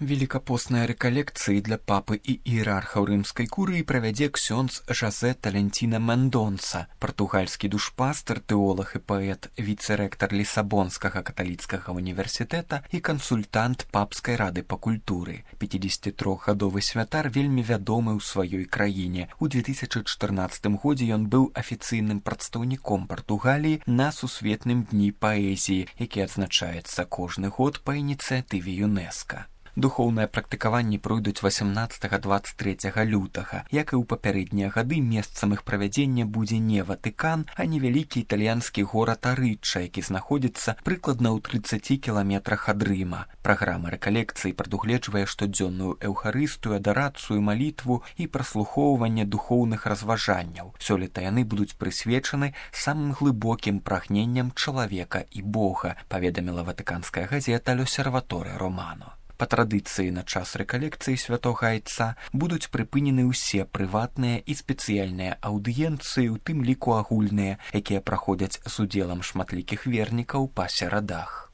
Великапосныя рэкалекцыі для папы і іерархаў рымскай курыі правядзе ксёндз Жазэ Талентіна Мендонса, партугальскі душпастар, тэолаг і паэт, віцэрэктар Лісабонскага каталіцкага універсітэта і кансультант папскай рады па культуры. 53-гадовы святар вельмі вядомы ў сваёй краіне. У 2014 годзе ён быў афіцыйным прадстаўніком Партугаліі на сусветным дні паэзіі, які адзначаецца кожны год па ініцыятыве ЮНЕСКА. Духоўныя практыкаванні пройдуць 18-23 лютага. Як і ў папярэднія гады, месцам іх правядзення будзе не Ватыкан, а невялікі італьянскі горад Арычча, які знаходзіцца прыкладна ў 30 кіламетрах ад Рыма. Праграма рэкалекцыі прадугледжвае штодзённую эўхарыстыю, адарацыю, малітву і праслухоўванне духоўных разважанняў. Сёлета яны будуць прысвечаны самым глыбокім прагненням чалавека і Бога, паведаміла ватыканская газета «L'Osservatore Romano». Па традыцыі на час рэкалекцыі святога айца будуць прыпынены ўсе прыватныя і спецыяльныя аўдыенцыі, у тым ліку агульныя, якія праходзяць з удзелам шматлікіх вернікаў па серадах.